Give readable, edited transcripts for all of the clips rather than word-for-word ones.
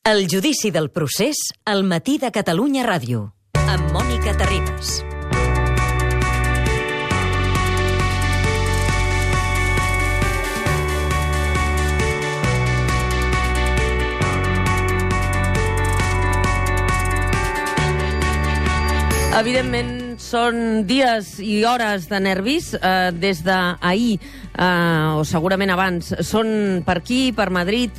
El judici del procés al matí de Catalunya Ràdio, amb Mònica Terribas. Evidentment, són dies i hores de nervis des d'ahir, o segurament abans. Són per aquí, per Madrid,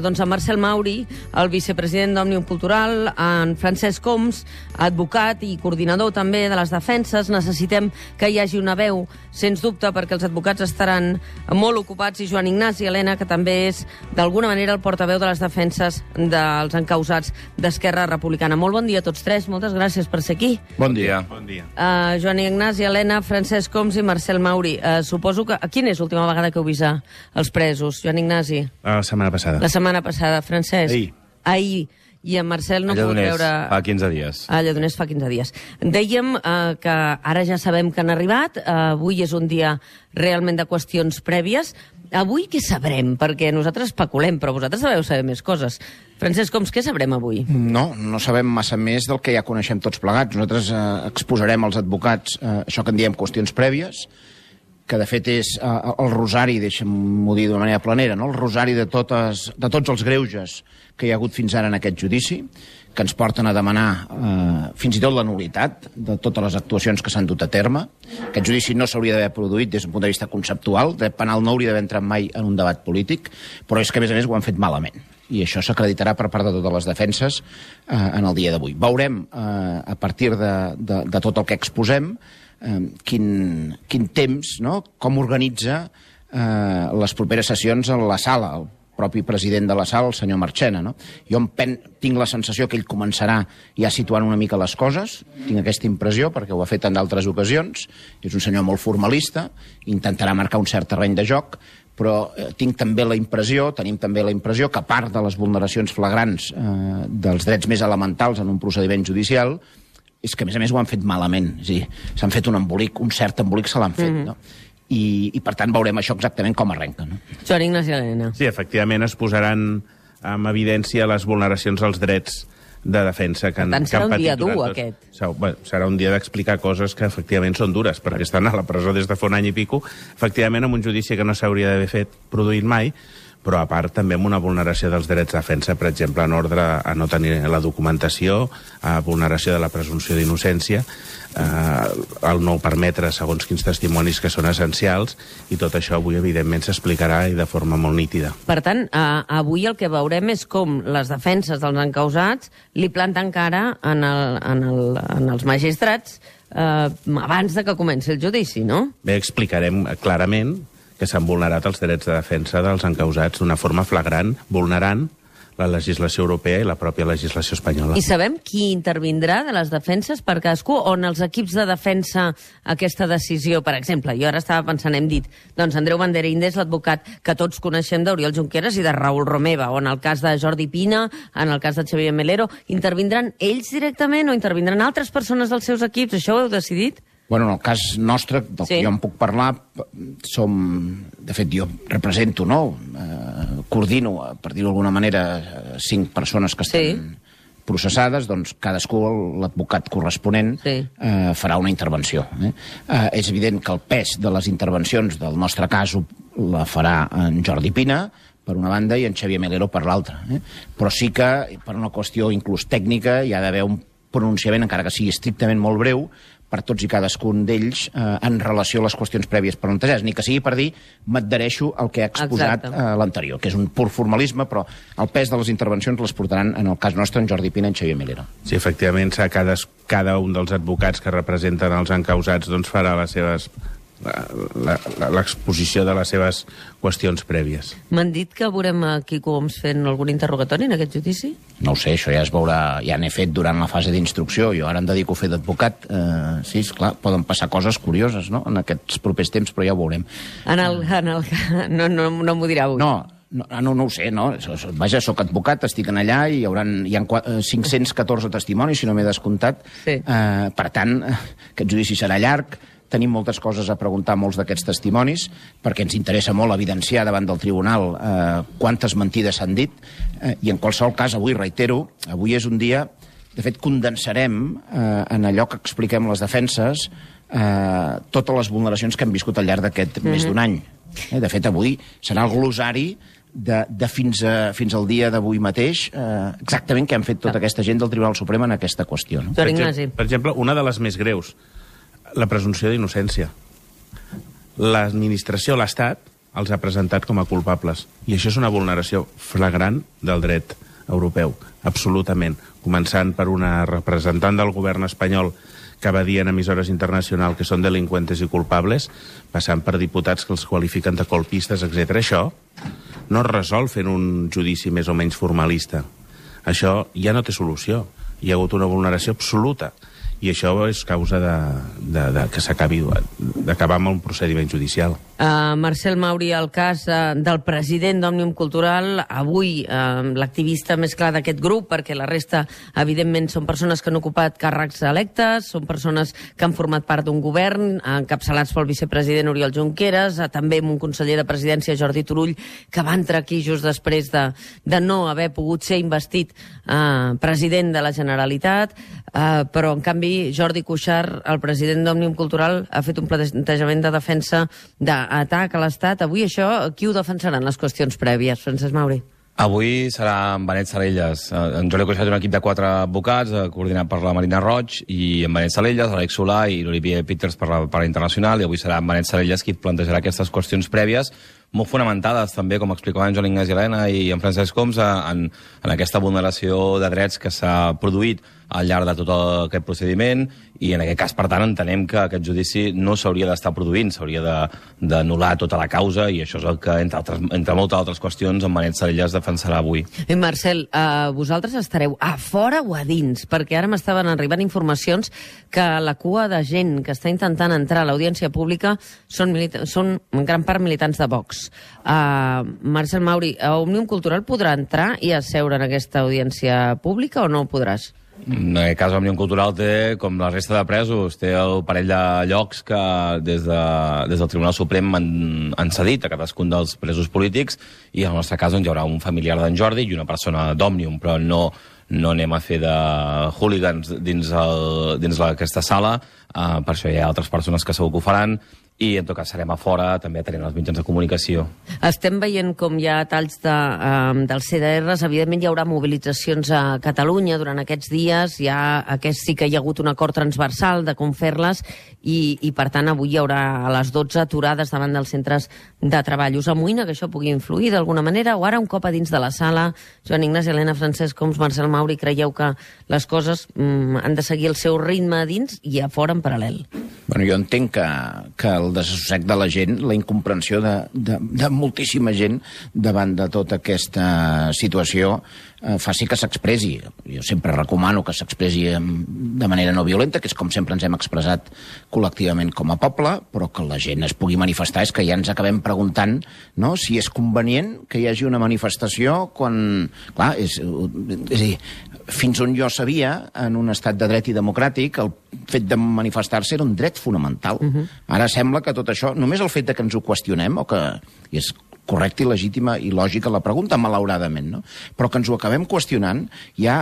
doncs en Marcel Mauri, el vicepresident d'Òmnium Cultural, en Francesc Homs, advocat i coordinador també de les defenses. Necessitem que hi hagi una veu, sens dubte, perquè els advocats estaran molt ocupats, i Joan Ignasi Elena, que també és, d'alguna manera, el portaveu de les defenses dels encausats d'Esquerra Republicana. Molt bon dia a tots tres, moltes gràcies per ser aquí. Bon dia. Bon dia. Joan Ignasi Elena, Francesc Homs i Marcel Mauri. Suposo que... Quina és l'última vegada que heu vist els presos, Joan Ignasi? La setmana passada. La setmana passada. Francesc? Ahir. I en Marcel no pot veure... fa 15 dies. A Lledoners fa 15 dies. Dèiem que ara ja sabem que han arribat. Avui és un dia realment de qüestions prèvies. Avui què sabrem? Perquè nosaltres especulem, però vosaltres deveu saber més coses. Francesc Homs, què sabrem avui? No sabem massa més del que ja coneixem tots plegats. Nosaltres exposarem als advocats això que en diem qüestions prèvies, que de fet és el rosari, deixa'm-ho dir d'una manera planera, no? El rosari de tots els greuges que hi ha hagut fins ara en aquest judici, que ens porten a demanar fins i tot la nul·litat de totes les actuacions que s'han dut a terme. Aquest judici no s'hauria d'haver produït des d'un punt de vista conceptual, el dret penal no hauria d'haver entrat mai en un debat polític, però és que a més ho han fet malament. I això s'acreditarà per part de totes les defenses en el dia d'avui. Veurem, a partir de tot el que exposem, quin temps, no? Com organitza les properes sessions a la sala, el propi president de la sala, el senyor Marchena, no? Jo tinc la sensació que ell començarà ja situant una mica les coses, tinc aquesta impressió, perquè ho ha fet en d'altres ocasions, és un senyor molt formalista, intentarà marcar un cert terreny de joc, però tenim també la impressió que a part de les vulneracions flagrants dels drets més elementals en un procediment judicial, és que, a més, ho han fet malament. És a dir, s'han fet un embolic, un cert embolic se l'han fet, no? I, per tant, veurem això exactament com arrenca, no? Joan Ignasi Elena. Sí, efectivament, es posaran en evidència les vulneracions als drets de defensa que han patit. Per tant, serà un dia dur, aquest. Serà un dia d'explicar coses que, efectivament, són dures, perquè estan a la presó des de fa un any i pico, efectivament, amb un judici que no s'hauria d'haver produït mai, però a part també amb una vulneració dels drets de defensa, per exemple, en ordre a no tenir la documentació, a vulneració de la presumpció d'innocència, el no permetre segons quins testimonis que són essencials, i tot això avui, evidentment, s'explicarà i de forma molt nítida. Per tant, avui el que veurem és com les defenses dels encausats li planten cara en els magistrats abans de que comenci el judici, no? Bé, explicarem clarament que s'han vulnerat els drets de defensa dels encausats d'una forma flagrant, vulnerant la legislació europea i la pròpia legislació espanyola. I sabem qui intervindrà de les defenses per cadascú, o en els equips de defensa aquesta decisió? Per exemple, jo ara estava pensant, hem dit, doncs Andreu Banderíndez, l'advocat que tots coneixem d'Oriol Junqueras i de Raül Romeva, o en el cas de Jordi Pina, en el cas de Xavier Melero, intervindran ells directament o intervindran altres persones dels seus equips? Això ho heu decidit? Bueno, en el cas nostre, del que jo en puc parlar, de fet, jo represento, no? Coordino, per dir-ho d'alguna manera, 5 persones que estan processades, doncs cadascú, l'advocat corresponent, farà una intervenció. És evident que el pes de les intervencions del nostre cas la farà en Jordi Pina, per una banda, i en Xavier Melero per l'altra. Però sí que, per una qüestió inclús tècnica, hi ha d'haver un pronunciament, encara que sigui estrictament molt breu, per tots i cadascun d'ells en relació a les qüestions prèvies plantejades. Ni que sigui per dir, m'adhereixo al que ha exposat l'anterior, que és un pur formalisme, però el pes de les intervencions les portaran, en el cas nostre, en Jordi Pina i en Xavier Melero. Sí, efectivament, cada un dels advocats que representen els encausats doncs farà les seves l'exposició de les seves qüestions prèvies. M'han dit que veurem a Quico Homs fent algun interrogatori en aquest judici? No ho sé, això ja es veurà, ja n'he fet durant la fase d'instrucció, jo ara em dedico a fer d'advocat, sí, esclar, poden passar coses curioses, no?, en aquests propers temps, però ja ho veurem. No m'ho dirà avui. No ho sé, no? Vaja, soc advocat, estic en allà i hi ha 514 testimonis, si no m'he descomptat. Per tant, aquest judici serà llarg, tenim moltes coses a preguntar a molts d'aquests testimonis, perquè ens interessa molt evidenciar davant del tribunal quantes mentides s'han dit, i en qualsevol cas, avui, reitero, avui és un dia... De fet, condensarem en allò que expliquem les defenses totes les vulneracions que hem viscut al llarg d'aquest més d'un any. De fet, avui serà el glosari de fins al dia d'avui mateix exactament què han fet tota aquesta gent del Tribunal Suprem en aquesta qüestió. No? Per exemple, una de les més greus, la presumpció d'innocència. L'administració, l'Estat, els ha presentat com a culpables. I això és una vulneració flagrant del dret europeu, absolutament. Començant per una representant del govern espanyol que va dir en emissores internacionals que són delinqüentes i culpables, passant per diputats que els qualifiquen de colpistes, etc. Això no es resol fent un judici més o menys formalista. Això ja no té solució. Hi ha hagut una vulneració absoluta. I això és causa que s'acabi d'acabar amb un procediment judicial. Marcel Mauri, el cas del president d'Òmnium Cultural, avui l'activista més clar d'aquest grup, perquè la resta, evidentment, són persones que han ocupat càrrecs electes, són persones que han format part d'un govern, encapçalats pel vicepresident Oriol Junqueras, també amb un conseller de presidència, Jordi Turull, que va entrar aquí just després de no haver pogut ser investit president de la Generalitat, però, en canvi, Jordi Cuixart, el president d'Òmnium Cultural, ha fet un plantejament de defensa d'atac a l'Estat. Avui això, qui ho defensaran les qüestions prèvies, Francesc Mauri? Avui serà en Benet Salellas. En Jordi Cuixart té un equip de 4 advocats, coordinat per la Marina Roig, i en Benet Salellas, l'Àlex Solà i l'Olivier Peters per la internacional, i avui serà en Benet Salellas qui plantejarà aquestes qüestions prèvies, molt fonamentades també, com explicaven Joan Ignasi Elena i en Francesc Homs, en aquesta vulneració de drets que s'ha produït al llarg de tot aquest procediment, i en aquest cas, per tant, entenem que aquest judici no s'hauria d'estar produint, s'hauria d'anul·lar tota la causa, i això és el que, entre moltes altres qüestions, en Benet Salellas defensarà avui. I Marcel, vosaltres estareu a fora o a dins? Perquè ara m'estaven arribant informacions que la cua de gent que està intentant entrar a l'audiència pública són en gran part militants de Vox. Marcel Mauri, Òmnium Cultural podrà entrar i asseure en aquesta audiència pública o no podràs? En aquest cas, Òmnium Cultural té, com la resta de presos, té el parell de llocs que des del Tribunal Suprem han cedit a cadascun dels presos polítics, i en el nostre cas hi haurà un familiar d'en Jordi i una persona d'Òmnium, però no anem a fer de hooligans dins aquesta sala, per això hi ha altres persones que segur que ho faran, i en tot cas serem a fora, també atenent els mitjans de comunicació. Estem veient com hi ha talls dels CDRs, evidentment hi haurà mobilitzacions a Catalunya durant aquests dies, sí que hi ha hagut un acord transversal de com fer-les, i per tant avui hi haurà a les 12 aturades davant dels centres de treball. Us amoïna que això pugui influir d'alguna manera, o ara un cop a dins de la sala, Joan Ignasi Elena, Francesc Homs, Marcel Mauri, creieu que les coses han de seguir el seu ritme a dins i a fora en paral·lel? Bueno, jo entenc que el desassossec de la gent, la incomprensió de moltíssima gent davant de tota aquesta situació faci que s'expressi. Jo sempre recomano que s'expressi de manera no violenta, que és com sempre ens hem expressat col·lectivament com a poble, però que la gent es pugui manifestar. És que ja ens acabem preguntant, no?, si és convenient que hi hagi una manifestació quan... Clar, és a dir, fins on jo sabia, en un estat de dret i democràtic, el fet de manifestar-se era un dret fonamental. Ara sembla que tot això, només el fet de que ens ho qüestionem, o que és correcta i legítima i lògica la pregunta, malauradament, no? Però que ens ho acabem qüestionant ja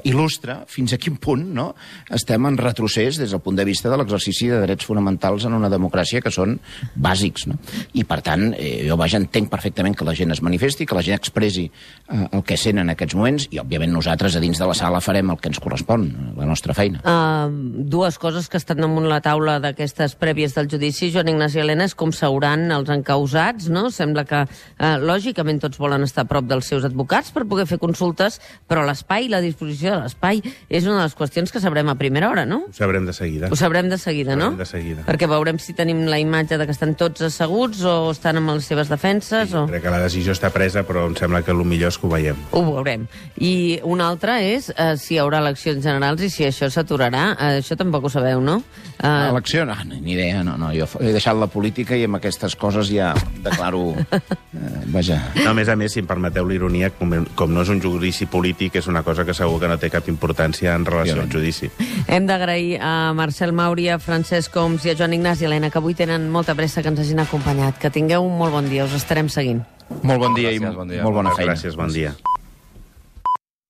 il·lustra fins a quin punt, no?, estem en retrocés des del punt de vista de l'exercici de drets fonamentals en una democràcia que són bàsics, no? I, per tant, jo entenc perfectament que la gent es manifesti, que la gent expressi el que sent en aquests moments, i, òbviament, nosaltres a dins de la sala farem el que ens correspon, la nostra feina. Dues coses que estan damunt la taula d'aquestes prèvies del judici, Joan Ignasi Elena, és com seuran els encausats, no? Sembla que lògicament tots volen estar a prop dels seus advocats per poder fer consultes, però l'espai, la disposició de l'espai, és una de les qüestions que sabrem a primera hora, no? Ho sabrem de seguida. Ho sabrem de seguida, no? De seguida. Perquè veurem si tenim la imatge de que estan tots asseguts o estan amb les seves defenses. Sí, crec que la decisió està presa, però em sembla que el millor és que ho veiem. Ho veurem. I una altra és si hi haurà eleccions generals i si això s'aturarà. Això tampoc ho sabeu, no? Elecció? No, ni idea. No, jo he deixat la política i amb aquestes coses ja declaro Vaja. No, a més, si em permeteu l'ironia, com no és un judici polític, és una cosa que segur que no té cap importància en relació al judici. Hem d'agrair a Marcel Mauri, a Francesc Homs i a Joan Ignasi Elena, que avui tenen molta pressa, que ens hagin acompanyat. Que tingueu un molt bon dia, us estarem seguint. Molt bon dia i Gràcies, bon dia. molt bona feina. Gràcies, bon dia.